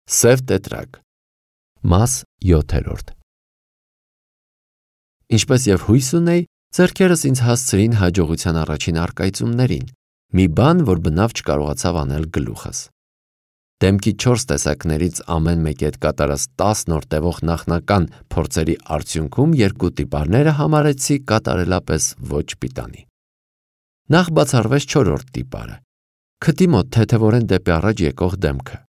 Սև տետրակ։ Մաս 7։ Ինչպես եւ հույս ունեի, ձեռքերս ինձ հասցրին հաջողության առաջին առկայծումներին, մի բան, որ բնավ չկարողացավ անել գլուխս։ Դեմքի 4 տեսակներից ամեն մեկի հետ կատարած 10 նոր տևող նախնական փորձերի արդյունքում երկու տիպարները համարեցի կատարելապես ոչ պիտանի։ Նախ բացառվեց 4-րդ տիպարը՝ քթի մոտ թեթևորեն դեպի առաջ եկող դեմքը։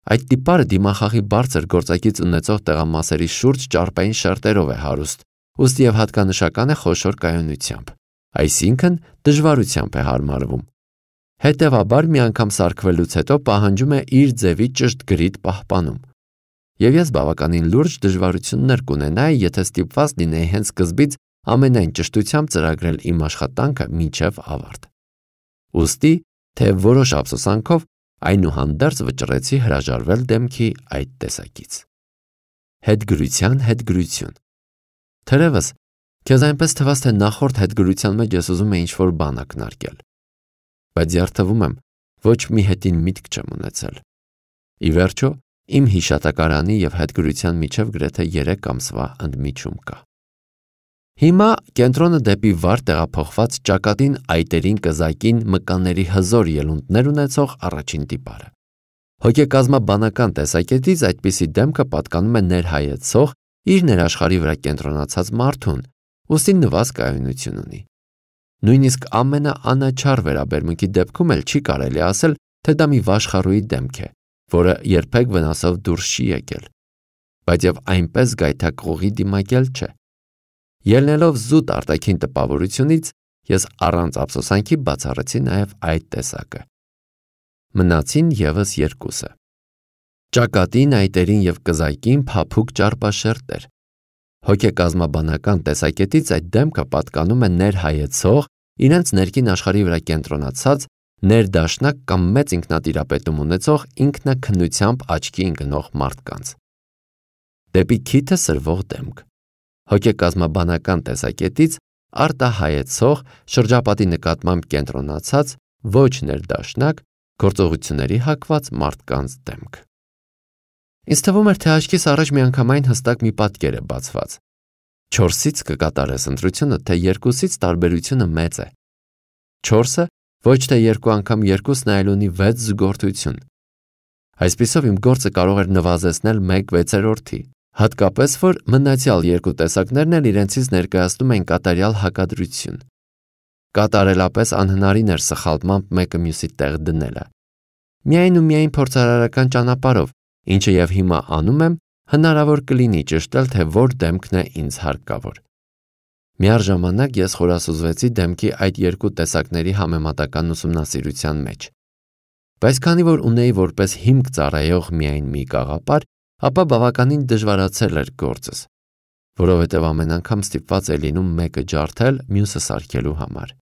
Այդ տիպարը դիմախաղի բարձր գործակից ունեցող տեղամասերի շուրջ ճարպային շերտերով է հարուստ, ուստի եւ հատկանշական է խոշոր կայունությամբ, այսինքն դժվարությամբ է հարմարվում։ Հետևաբար մի անգամ սարքվելուց հետո պահանջում է իր ձևի ճշտ գրիտ պահպանում։ Եվ ես բավականին լուրջ դժվարություններ կունենայի, եթե ստիպված լինեի հենց սկզբից ամենայն ճշտությամբ ծրագրել իմ աշխատանքը մինչև ավարտ։ Ուստի, թե որոշ ափսոսանքով այնուհանդերձ վճռեցի հրաժարվել դեմքի այդ տեսակից։ Հետգրության հետգրություն։ Թերևս, քեզ այնպես թվաց, թե նախորդ հետգրության մեջ ես ուզում եի ինչ-որ բան ակնարկել, բայց երդվում եմ, ոչ մի հետին միտք չեմ ունեցել։ Ի վերջո, իմ հիշատակարանի եւ հետգրության միջև գրեթե 3 ամսվա ընդմիջում կա։ Հիմա կենտրոնը դեպի վար տեղափոխված ճակատին այտերին կզակին մկանների հզոր ելունտներ ունեցող առաջին տիպարը։ Հոգեկազմաբանական տեսակետից այդպիսի դեմքը պատկանում է ներհայեցող, իր ներաշխարհի վրա կենտրոնացած մարդուն, ուստի նվազ կայունություն ունի։ Նույնիսկ ամենաանաչառ վերաբերմունքի դեպքում էլ չի կարելի ասել, թե դա մի վաշխառուի դեմք է, որը երբեք վնասով դուրս չի եկել, բայց եւ այնպես գայթակղողի դիմակել չէ։ Ելնելով զուտ արտաքին տպավորությունից, ես առանց ափսոսանքի բացառեցի նաև այդ տեսակը։ Մնացին եւս երկուսը։ Ճակատին, այտերին եւ կզակին փափուկ ճարպաշերտեր։ Հոգեկազմաբանական տեսակետից այդ դեմքը պատկանում է ներհայեցող, իրենց ներքին աշխարհի վրա կենտրոնացած, ներդաշնակ կամ մեծ ինքնատիրապետում ունեցող ինքնաքննությամբ աչքի ընկնող մարդկանց։ Դեպի քիթը սրվող դեմք։ Հոգեկազմաբանական տեսակետից արտահայեցող, շրջապատի նկատմամբ կենտրոնացած, ոչ ներդաշնակ, գործողությունների հակված մարդկանց դեմք։ Ինձ թվում էր, թե աչքիս առաջ միանգամայն հստակ մի պատկեր է բացված։ 4-ից կկատարես ընտրությունը, թե 2-ից տարբերությունը մեծ է։ 4-ը ոչ թե 2 անգամ 2-ն այլ ունի 6 զուգորդություն։ Այսպիսով իմ գործը կարող էր նվազեցնել 1/6-ի, հատկապես որ մնացյալ 2 տեսակներն էլ իրենցից ներկայացնում են կատարյալ հակադրություն։ Կատարելապես անհնարին էր սխալմամբ մեկը մյուսի տեղ դնելը։ Միայն ու միայն փորձարարական ճանապարհով, ինչը եւ հիմա անում եմ, հնարավոր կլինի ճշտել, թե որ դեմքն է ինձ հարկավոր։ Միառժամանակ ես խորասուզվեցի դեմքի այդ 2 տեսակների համեմատական ուսումնասիրության մեջ։ Բայց քանի որ ունեի որպես հիմք ծառայող միայն մի գաղափար, ապա բավականին դժվարացել էր գործս, որովհետև ամեն անգամ ստիպված է լինում մեկը ջարդել մյուսը սարքելու համար։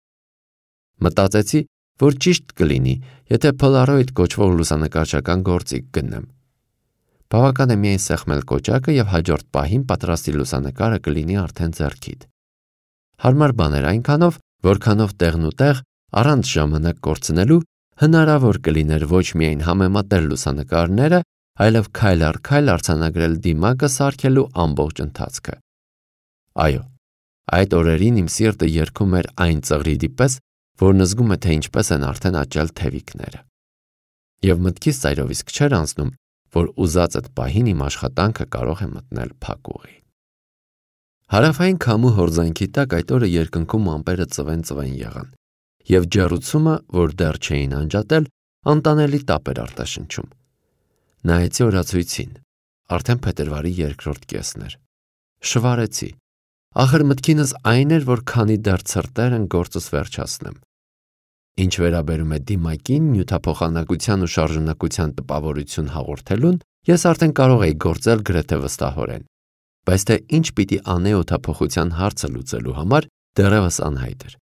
Մտածեցի, որ ճիշտ կլինի, եթե Polaroid կոչվող լուսանկարչական գործիք գտնեմ։ Բավական է միայն սեղմել կոճակը եւ հաջորդ պահին պատրաստի լուսանկարը կլինի արդեն ձեռքիդ։ Հարմար բան էր այնքանով, որքանով տեղն ու տեղ առանց ժամանակ կորցնելու հնարավոր կլիներ ոչ միայն համեմատել լուսանկարները, այլև քայլ առ քայլ արձանագրել դիմակը սարքելու ամբողջ ընթացքը։ Այո, այդ օրերին իմ սիրտը երգում էր այն ծղրիդի պես, որն զգում է, թե ինչպես են արդեն աճել թևիկները։ Եվ մտքից ծայրովիսկ չէր անցնում, որ ուզած այդ պահին իմ աշխատանքը կարող է մտնել փակուղի։ Հարավային քամու հորձանքի տակ այդ օրը երկնքում ամպերը ծվեն եղան, եւ ջեռուցումը, որ դեռ չէին անջատել, անտանելի տապ էր արտաշնչում։ Նայեցի օրացույցին, արդեն փետրվարի 2-րդ կեսն էր։ Շվարեցի։ Ախր մտքինս այն էր, որ քանի դեռ ցրտեր են գործս վերջացնեմ։ Ինչ վերաբերում է դիմակին, նյութափոխանակության ու շարժունակության տպավորություն հաղորդելուն, ես արդեն կարող էի գործել գրեթե վստահորեն։ Բայց թե ինչ պիտի անեի օդափոխության հարցը լուծելու համար, դեռևս անհայտ էր։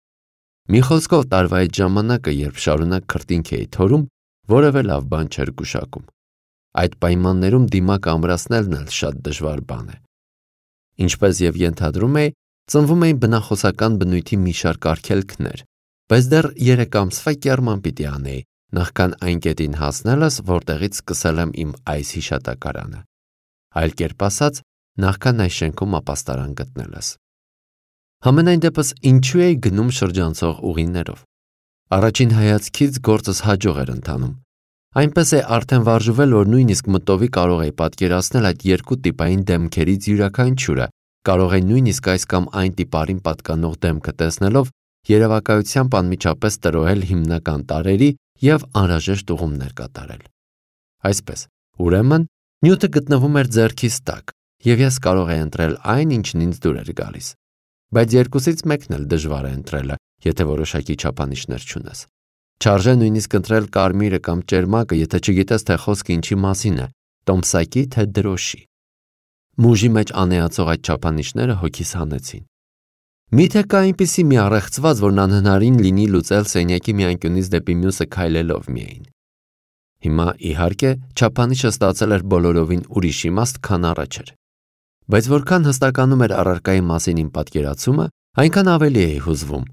Մի խոսքով տարվա այդ ժամանակը, երբ շարունակ քրտինք էի թորում, որևէ լավ բան չէր գուշակում։ Այդ պայմաններում դիմակը ամրացնելն էլ շատ դժվար բան է։ Ինչպես եւ ենթադրում էի, ծնվում էին բնախոսական բնույթի մի շարք արգելքներ, բայց դեռ 3 ամսվա կեռման պիտի անեի, նախքան այն կետին հասնելս, որտեղից սկսել եմ իմ այս հիշատակարանը։ Այլ կերպ ասած, նախքան այս շենքում ապաստարան գտնելս։ Համենայն դեպս ինչու էի գնում շրջանցող ուղիներով։ Առաջին հայացքից գործս հաջող էր ընթանում։ Այնպես է արդեն վարժվել, որ նույնիսկ մտովի կարող էի պատկերացնել այդ երկու տիպային դեմքերից յուրաքանչյուրը, կարող էի նույնիսկ այս կամ այն տիպարին պատկանող դեմքը տեսնելով երևակայությամբ անմիջապես տրոհել հիմնական տարրերի և անհրաժեշտ ուղումներ կատարել։ Այսպես, ուրեմն, նյութը գտնվում էր ձեռքիս տակ, և ես կարող էի ընտրել այն, ինչն ինձ դուր էր գալիս։ Բայց երկուսից մեկն էլ դժվար է ընտրելը, եթե որոշակի չափանիշներ չունես։ Չարժե նույնիսկ ընտրել կարմիրը կամ ճերմակը, եթե չգիտես, թե խոսքը ինչի մասին է, տոմսակի թե դրոշի։ Մուժի մեջ անեացող այդ չափանիշները հոգիս հանեցին։ Միթե կա այնպիսի մի առեղծված, որն անհնարին լինի լուծել սենյակի մի անկյունից դեպի մյուսը քայլելով միայն։ Հիմա, իհարկե, չափանիշը ստացել էր բոլորովին ուրիշ իմաստ, քան առաջ էր։ Բայց որքան հստականում էր առարկայի մասին իմ պատկերացումը, այնքան ավելի էի հուզվում։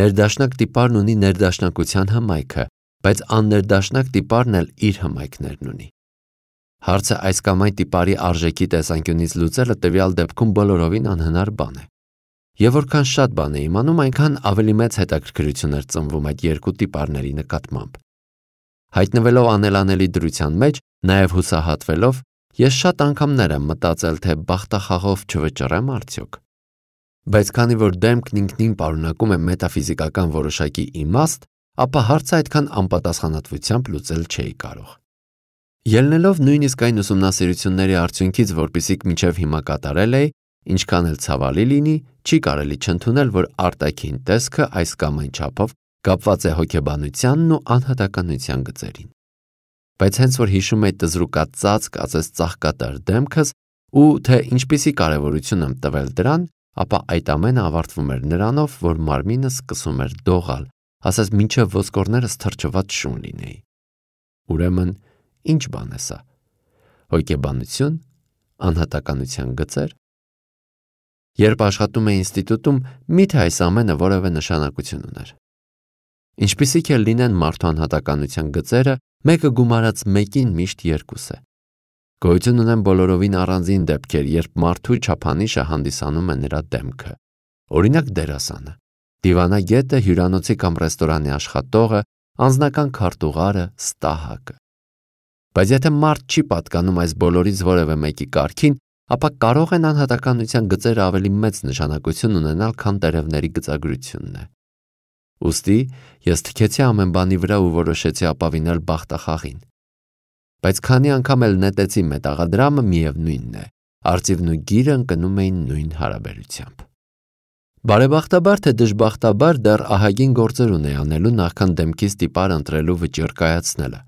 Ներդաշնակ տիպարն ունի ներդաշնակության հմայքը, բայց աններդաշնակ տիպարն էլ իր հմայքներն ունի։ Հարցը այս կամ այն տիպարի արժեքի տեսանկյունից լուծելը տվյալ դեպքում բոլորովին անհնար բան է։ Եվ որքան շատ բան է իմանում, այնքան ավելի մեծ հետաքրքրություն էր ծնվում այդ երկու տիպարների նկատմամբ։ Հայտնվելով անելանելի դրության մեջ, նաև հուսահատվելով, ես շատ անգամներ եմ մտածել, թե բախտախաղով չվճռեմ արդյոք։ Բայց քանի որ դեմքն ինքնին պարունակում է մետաֆիզիկական որոշակի իմաստ, ապա հարցը այդքան անպատասխանատվությամբ լուծել չէի կարող։ Ելնելով նույնիսկ այն ուսումնասիրությունների արդյունքից, որպիսիք մինչև հիմա կատարել էի, ինչքան էլ ցավալի լինի, չի կարելի չընդունել, որ արտաքին տեսքը այս կամ այն չափով կապված է հոգեբանությանն ու անհատականության գծերին։ Բայց հենց որ հիշում էի տզրուկածածկ ասես ծաղկատար դեմքս ու թե ինչպիսի կարևորություն եմ տվել դրան, ապա այդ ամենը ավարտվում էր նրանով, որ մարմինս սկսում էր դողալ, ասես մինչև ոսկորներս թրջված շուն լինեի։ Ուրեմն, ինչ բան է սա։ Հոգեբանություն, անհատականության գծեր։ Երբ աշխատում էի ինստիտուտում, միթե այս ամենը որևէ նշանակություն ուներ։ Ինչպիսիք էլ լինեն մարդու անհատականության գծերը, մեկը գումարած մեկին միշտ երկուս է։ Գոյություն ունեն բոլորովին առանձին դեպքեր, երբ մարդու չափանիշը հանդիսանում է նրա դեմքը։ Օրինակ դերասանը, դիվանագետը, հյուրանոցի կամ ռեստորանի աշխատողը, անձնական քարտուղարը, ստահակը։ Բայց եթե մարդ չի պատկանում այս բոլորից որևէ մեկի կարգին, ապա կարող են անհատականության գծերը ավելի մեծ նշանակություն ունենալ, քան տերևների գծագրությունն է։ Ուստի ես թքեցի ամեն բանի վրա ու որոշեցի ապավինել բախտախաղին։ Բայց քանի անգամ էլ նետեցի մետաղադրամը, միևնույնն է, արծիվն ու գիրը ընկնում էին նույն հարաբերությամբ։ Բարեբախտաբար թե դժբախտաբար դեռ ահագին գործեր ունեի անելու նախքան դեմքից տիպար ընտրելու վճիռ կայացնելը։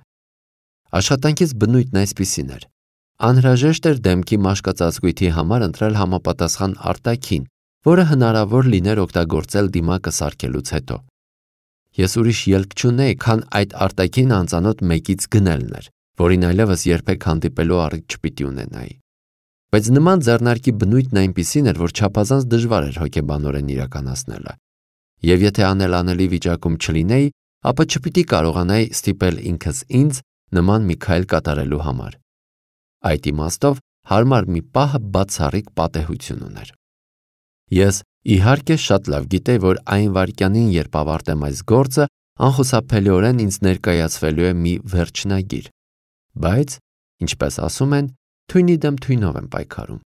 Աշխատանքից բնույթն այսպիսին էր. անհրաժեշտ էր դեմքի մաշկածածկույթի համար ընտրել համապատասխան արտաքին, որը հնարավոր լիներ օգտագործել դիմակը սարքելուց հետո։ Ես ուրիշ ելք չունեի, քան այդ արտաքին անծանոթ մեկից գնելն էր, որին այլևս երբեք հանդիպելու առիթ չպիտի ունենայի։ Բայց նման ձեռնարկի բնույթն այնպիսին էր, որ չափազանց դժվար էր հոգեբանորեն իրականացնելը։ Եվ եթե անելանելի վիճակում չլինեի, ապա չպիտի կարողանայի ստիպել ինքս ինձ նման մի քայլ կատարելու համար։ Այդ իմաստով հարմար մի պահը բացառիկ պատեհություն ուներ։ Ես իհարկե շատ լավ գիտեի, որ այն վայրկյանին, երբ ավարտեմ այս գործը, անխուսափելիորեն ինձ ներկայացվելու է մի վերջնագիր։ Բայց, ինչպես ասում են, թույնի դեմ թույնով եմ պայքարում։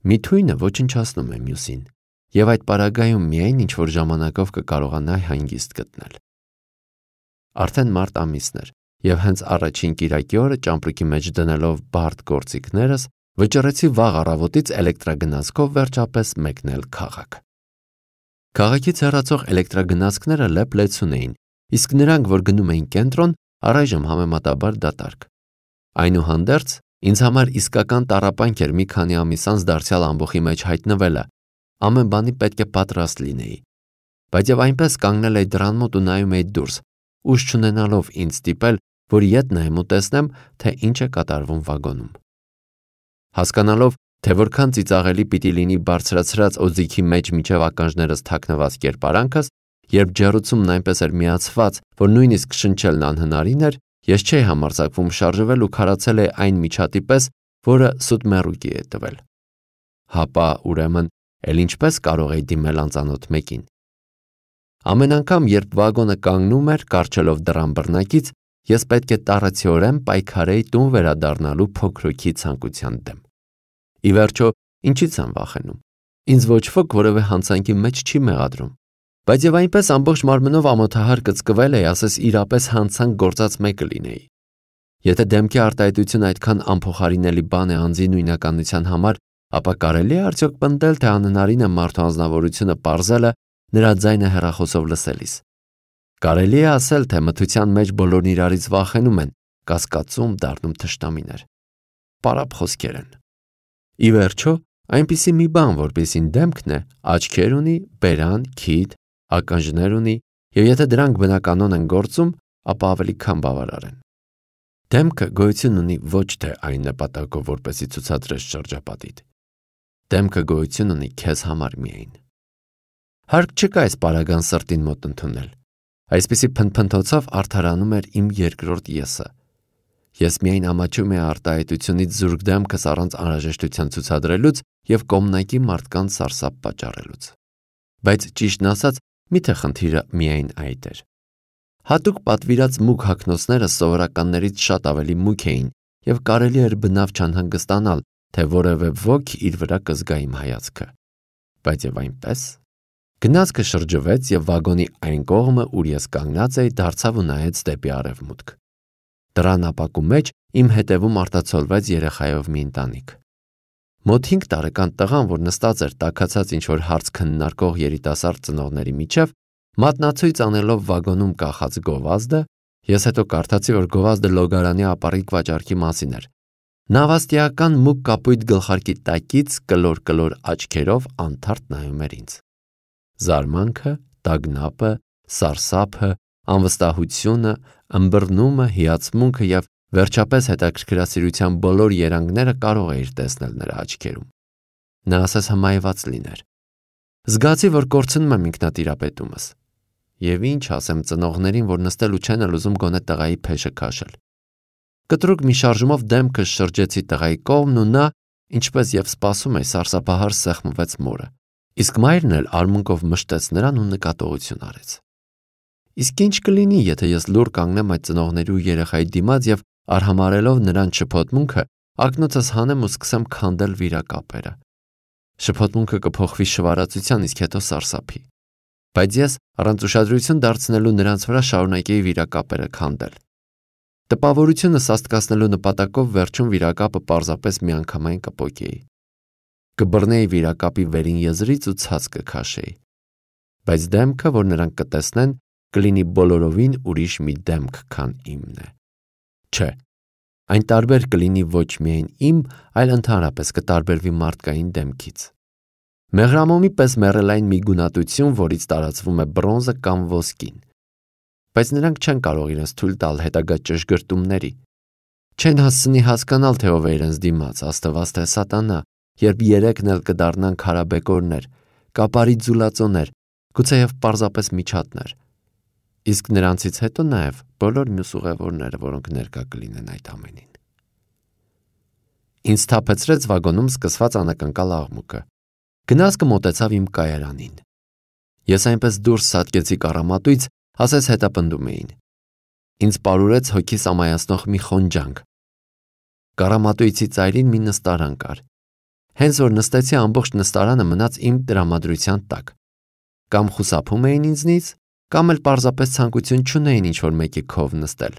Մի թույնը ոչնչացնում է մյուսին, և այդ պարագայում միայն ինչ-որ ժամանակով կկարողանայի հանգիստ գտնել։ Արդեն մարտ ամիսն էր, և հենց առաջին կիրակի օրը ճամպրուկի մեջ դնելով բարդ գործիքներս, վճռեցի վաղ առավոտից էլեկտրագնացքով վերջապես մեկնել քաղաք։ Քաղաքից հեռացող էլեկտրագնացքները լեփ-լեցուն էին, իսկ նրանք, որ գնում էին կենտրոն, առայժմ համեմատաբար դատարկ։ Այնուհանդերձ, ինձ համար իսկական տառապանք էր մի քանի ամիս անց դարձյալ ամբոխի մեջ հայտնվելը, ամեն բանի պետք է պատրաստ լինեի։ Բայց եւ այնպես կանգնել էի դռան մոտ ու նայում էի դուրս, ուժ չունենալով ինձ ստիպել, որ ետ նայեմ ու տեսնեմ, թե ինչ է կատարվում վագոնում։ Հասկանալով, թե որքան ծիծաղելի պիտի լինի բարձրացրած օձիքի մեջ միջև ականջներս թաքնված կերպարանքս, երբ ջեռուցումն այնպես էր միացված, որ նույնիսկ շնչելն անհնարին էր, ես չէի համարձակվում շարժվել ու քարացել է այն միջատի պես, որը սուտ մեռուկի է տվել։ Հապա, ուրեմն, էլ ինչպես կարող էի դիմել անծանոթ մեկին։ Ամեն անգամ, երբ վագոնը կանգնում էր, կառչելով դռան բռնակից, ես պետք է տառացիորեն պայքարեի տուն վերադառնալու փոքրուքի ցանկության դեմ։ Ի վերջո, ինչից եմ վախենում։ Ինձ ոչ ոք որևէ հանցանքի մեջ չի մեղադրում։ Բայց եւ այնպես ամբողջ մարմնով ամոթահար կծկվել էի, ասես իրապես հանցանք գործած մեկը լինեի։ Եթե դեմքի արտահայտությունը այդքան անփոխարինելի բան է անձի նույնականության համար, ապա կարելի է արդյոք պնդել, թե անհնարին է մարդու անձնավորությունը պարզելը նրա ձայնը հեռախոսով լսելիս։ Կարելի է ասել, թե մթության մեջ բոլորն իրարից վախենում են, կասկածում դառնում թշնամիներ։ Պարապ խոսքեր են։ Ի վերջո, այնպիսի մի բան, որպեսին դեմքն է, աչքեր ունի, բերան, քիթ, ականջներ ունի, եւ եթե դրանք բնականon են գործում, ապա ավելի քան բավարար են։ Դեմքը գոյություն ունի ոչ թե այն նպատակով, որպեսզի ցուցադրես շրջապատիդ։ Դեմքը գոյություն ունի քեզ համար միայն։ Հարկ չկա այս պարագան սրտին մոտ ընդունել։ Այսպիսի փնփնթոցով արդարանում էր իմ երկրորդ եսը։ Ես միայն ամաչում էի արտահայտությունից զուրկ դեմքս առանց անհրաժեշտության ցուցադրելուց եւ կողմնակի մարդկանց սարսափ պատճառելուց։ Բայց ճիշտն ասած, միթե խնդիրը միայն այդ էր։ Հատուկ պատվիրած մուգ հագնոցները սովորականներից շատ ավելի մուգ էին եւ կարելի էր բնավ չանհանգստանալ, թե որևէ ոք իր վրա կզգա իմ հայացքը։ Բայց եւ այնպես գնացքը շրջվեց եւ վագոնի այն կողմը, ուր ես կանգնած էի, դարձավ ու նայեց դեպի արևմուտք։ Դռան ապակու մեջ իմ հետևում արտացոլվեց երեխայով մի ընտանիք։ Մոտ 5 տարեկան տղան, որ նստած էր տաքացած ինչ-որ հարց քննարկող երիտասարդ ծնողների միջև, մատնացույց անելով վագոնում կախած գովազդը, ես հետո կարդացի, որ գովազդը լոգարանի ապառիկ վաճառքի մասին էր։ Նավաստիական մուգ կապույտ գլխարկի տակից կլոր աչքերով անթարթ նայում էր ինձ։ Զարմանքը, տագնապը, սարսափը, անվստահությունը, ըմբռնումը, հիացմունքը եւ վերջապես հետաքրքրասիրության բոլոր երանգները կարող էիր տեսնել նրա աչքերում։ Նա ասես հմայված լիներ։ Զգացի, որ կորցնում եմ ինքնատիրապետումս։ Եվ ինչ ասեմ ծնողներին, որ նստել ու չեն էլ ուզում գոնե տղայի փեշը քաշել։ Կտրուկ մի շարժումով դեմքս շրջեցի տղայի կողմն ու նա, ինչպես եւ սպասում էի, սարսափահար սեղմվեց մորը։ Իսկ մայրն էլ արմունկով մշտեց նրան ու նկատողություն արեց։ Իսկ ինչ կլինի, եթե ես լուռ կանգնեմ այդ ծնողների ու երեխայի դիմաց եւ արհամարելով նրան շփոթմունքը, ակնոցս հանեմ ու սկսեմ քանդել վիրակապերը։ Շփոթմունքը կփոխվի շվարածության, իսկ հետո սարսափի։ Բայց ես առանց ուշադրություն դարձնելու նրանց վրա շարունակեի վիրակապերը քանդել։ Տպավորությունը սաստկացնելու նպատակով վերջում վիրակապը պարզապես միանգամայն կպոկեի։ Կբռնեի վիրակապի վերին եզրից ու ցած կքաշեի։ Բայց դեմքը, որ նրանք կտեսնեն, կլինի բոլորովին ուրիշ մի դեմք, քան իմն է։ Չէ, այն տարբեր կլինի ոչ միայն իմ, այլ ընդհանրապես կտարբերվի մարդկային դեմքից։ Մեղրամոմի պես մեռելային մի գունատություն, որից տարածվում է բրոնզը կամ ոսկին։ Բայց նրանք չեն կարող իրենց թույլ տալ հետագա ճշգրտումների։ Չեն հասցնի հասկանալ, թե ով է իրենց դիմաց, աստված թե սատանա, երբ երեքն էլ կդառնան քարաբեկորներ, կապարի ձուլածոներ, գուցեև պարզապես միջատներ։ Իսկ նրանցից հետո նաև բոլոր մյուս ուղևորները, որոնք ներկա կլինեն այդ ամենին։ Ինձ թափեցրեց վագոնում սկսված անակնկալ աղմուկը։ Գնացքը մոտեցավ իմ կայարանին։ Ես այնպես դուրս սատկեցի կառամատույց, ասես հետապնդում էին։ Ինձ պարուրեց հոգիս ամայացնող մի խոնջանք։ Կառամատույցի ծայրին մի նստարան կար։ Հենց որ նստեցի, ամբողջ նստարանը մնաց իմ տրամադրության տակ։ Կամ խուսափում էին ինձնից, կամ էլ պարզապես ցանկություն չունեին ինչ-որ մեկի քով նստել։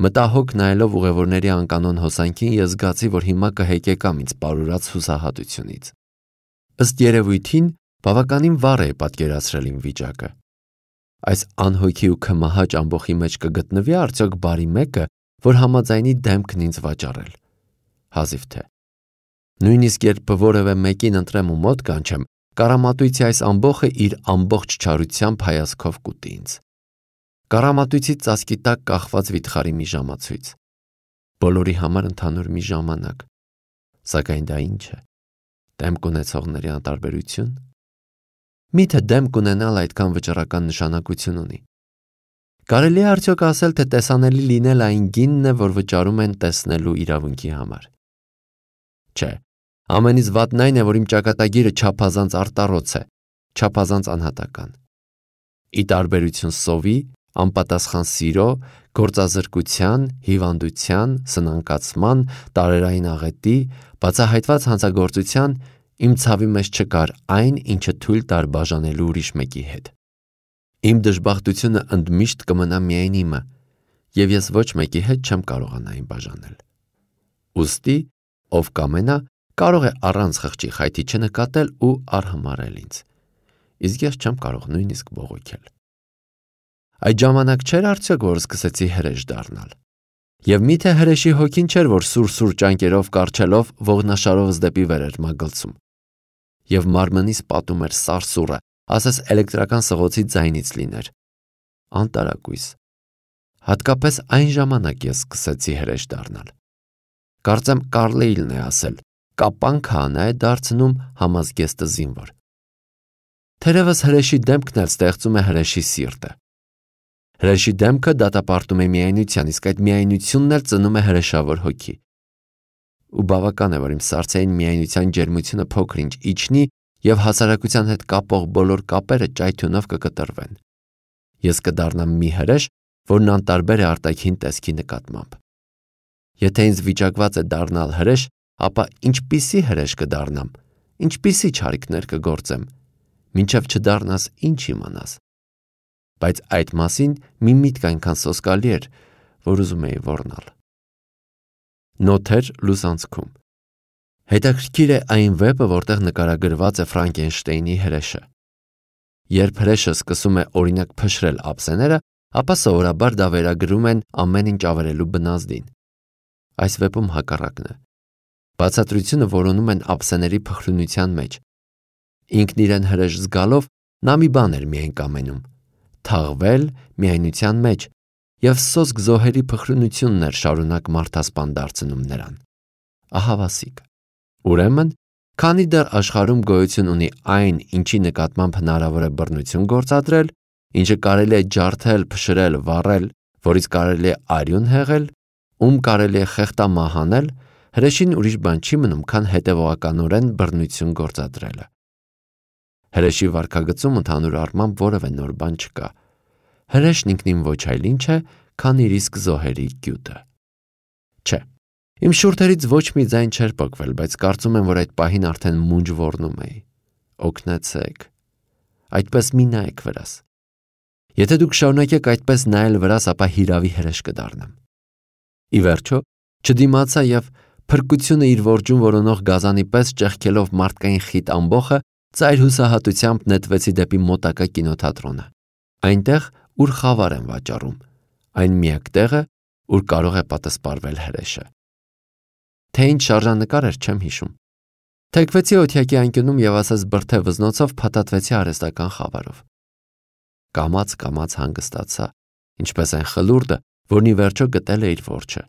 Մտահոգ նայելով ուղևորների անկանոն հոսանքին, ես զգացի, որ հիմա կհեկեկամ ինձ պարուրած հուսահատությունից։ Ըստ երևույթին, բավականին վառ է պատկերացրել իմ վիճակը։ Այս անհոգի ու քմահաճ ամբոխի մեջ կգտնվի արդյոք բարի մեկը, որ համաձայնի դեմքն ինձ վաճառել։ Հազիվ թե։ Նույնիսկ երբ որևէ մեկին ընտրեմ ու մոտ կանչեմ, կառամատույցի այս ամբոխը իր ամբողջ չարությամբ հայացքով կուտի ինձ։ Կառամատույցի ծածկի տակ կախված վիթխարի մի ժամացույց։ Բոլորի համար ընդհանուր մի ժամանակ։ Սակայն դա ինչ է։ Դեմք ունեցողների անտարբերություն։ Միթե դեմ կունենալ այդքան վճռական նշանակություն ունի։ Կարելի է արդյոք ասել, թե տեսանելի լինել այն գինն է, որ վճարում են տեսնելու իրավունքի համար։ Չէ, ամենից վատն այն է, որ իմ ճակատագիրը չափազանց արտառոց է, չափազանց անհատական։ Ի տարբերություն սովի, անպատասխան սիրո, գործազրկության, հիվանդության, սնանկացման, տարերային աղետի, բացահայտված հանցագործության, իմ ցավի մեջ չկար այն, ինչը թույլ տար բաժանելու ուրիշ մեկի հետ։ Իմ դժբախտությունը ընդմիշտ կմնա միայն իմը, և ես ոչ մեկի հետ չեմ կարողանա այն բաժանել։ Ուստի, ով կամենա, կարող է առանց խղճի խայթի չնկատել ու արհամարել ինձ, իսկ ես չեմ կարող նույնիսկ բողոքել։ Այդ ժամանակ չէր արդյոք, որ սկսեցի հրեշ դառնալ։ Եվ միթե հրեշի հոգին չէր, որ սուր ճանկերով կառչելով ողնաշարովս դեպի վեր էր մագլցում։ Եվ մարմնիս պատում էր սարսուռը, ասես էլեկտրական սղոցի ձայնից լիներ։ Անտարակույս։ Հատկապես այն ժամանակ ես սկսեցի հրեշ դառնալ։ Կարծեմ Կարլեյլն է ասել. կապանքանը է դարձնում համազգեստը զինվոր։ Թերևս հրեշի դեմքն էլ ստեղծում է հրեշի սիրտը։ Հրեշի դեմքը դատապարտում է միայնության, իսկ այդ միայնությունն էլ ծնում է հրեշավոր հոգի։ Ու բավական է, որ իմ սառցեին միայնության ջերմությունը փոքր-ինչ իջնի և հասարակության հետ կապող բոլոր կապերը ճայթյունով կկտրվեն։ Ես կդառնամ մի հրեշ, որն անտարբեր է արտաքին տեսքի նկատմամբ։ Եթե ինձ վիճակված է դառնալ հրեշ, ապա ինչպիսի հրեշ կդառնամ, ինչպիսի չարիքներ կգործեմ, մինչև չդառնաս ինչ իմանաս։ Բայց այդ մասին մի միտք այնքան սոսկալի էր, որ ուզում էի ոռնալ։ Նոթեր լուսանցքում։ Հետաքրքիր է այն վեպը, որտեղ նկարագրված է Ֆրանկենշտեյնի հրեշը։ Երբ հրեշը սկսում է օրինակ փշրել ափսեները, ապա սովորաբար դա վերագրում են ամեն ինչ ավերելու բնազդին։ Այս վեպում հակառակն է։ Բացատրությունը որոնում են ափսեների փխրունության մեջ։ Ինքն իրեն հրեշ զգալով նա մի բան էր միայն կամենում՝ թաղվել միայնության մեջ, և սոսկ զոհերի փխրունությունն էր շարունակ մարդասպան դարձնում նրան։ Ահավասիկ։ Ուրեմն, քանի դեռ աշխարհում գոյություն ունի այն, ինչի նկատմամբ հնարավոր է բռնություն գործադրել, ինչը կարելի է ջարդել, փշրել, վառել, որից կարելի է արյուն հեղել, ում կարելի է խեղդամահ անել, հրեշին ուրիշ բան չի մնում, քան հետևողականորեն բռնություն գործադրելը։ Հրեշի վարքագծում ընդհանուր առմամբ որևէ նոր բան չկա։ Հրեշն ինքնին ոչ այլ ինչ է, քան իր իսկ զոհերի գյուտը։ Չէ, իմ շուրթերից ոչ մի ձայն չէր պոկվել, բայց կարծում եմ, որ այդ պահին արդեն մունջ ոռնում էի։ Օգնեցեք։ Այդպես մի նայեք վրաս։ Եթե դուք շարունակեք այդպես նայել վրաս, ապա հիրավի հրեշ կդառնամ։ Ի վերջո, չդիմացա և փրկությունը իր որջում որոնող գազանի պես ճեղքելով մարդկային խիտ ամբոխը, ծայր հուսահատությամբ նետվեցի դեպի մոտակա կինոթատրոնը։ Այնտեղ, ուր խավար են վաճառում, այն միակ տեղը, ուր կարող է պատասպարվել հրեշը։ Թե ինչ շարժանկար էր, չեմ հիշում։ Թեքվեցի օթյակի անկյունում և ասես բրդե վզնոցով փաթաթվեցի արհեստական խավարով։ Կամաց հանգստացա, ինչպես այն խլուրդը, որն ի վերջո գտել է իր որջը։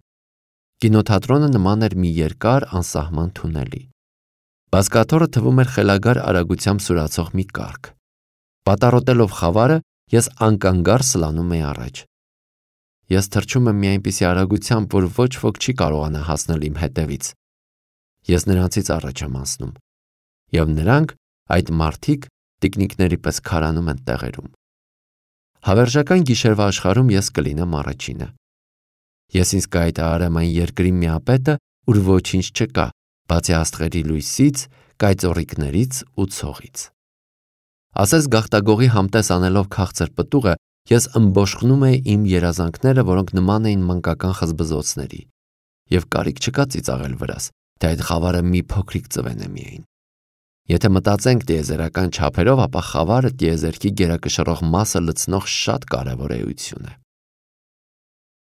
Կինոթատրոնը նման էր մի երկար անսահման թունելի։ Բազկաթոռը թվում էր խելագար արագությամբ սուրացող մի կառք։ Պատառոտելով խավարը, ես անկանգար սլանում էի առաջ։ Ես թռչում եմ մի այնպիսի արագությամբ, որ ոչ ոք չի կարողանա հասնել իմ հետևից։ Ես նրանցից առաջ եմ անցնում, և նրանք, այդ մարդիկ, տիկնիկների պես քարանում են տեղերում։ Հավերժական գիշերվա աշխարհում ես կլինեմ առաջինը։ Ես ինձ կհայտարարեմ այն երկրի միապետը, ուր ոչինչ չկա, բացի աստղերի լույսից, կայծոռիկներից ու ցողից։ Ասես գաղտագողի համտես անելով քաղցր պտուղը, ես ըմբոշխնում էի իմ երազանքները, որոնք նման էին մանկական խզբզոցների, և կարիք չկա ծիծաղել վրաս, թե այդ խավարը մի փոքրիկ ծվեն է միայն։ Եթե մտածենք տիեզերական չափերով, ապա խավարը տիեզերքի գերակշռող մասը լցնող շատ կարևոր էություն է։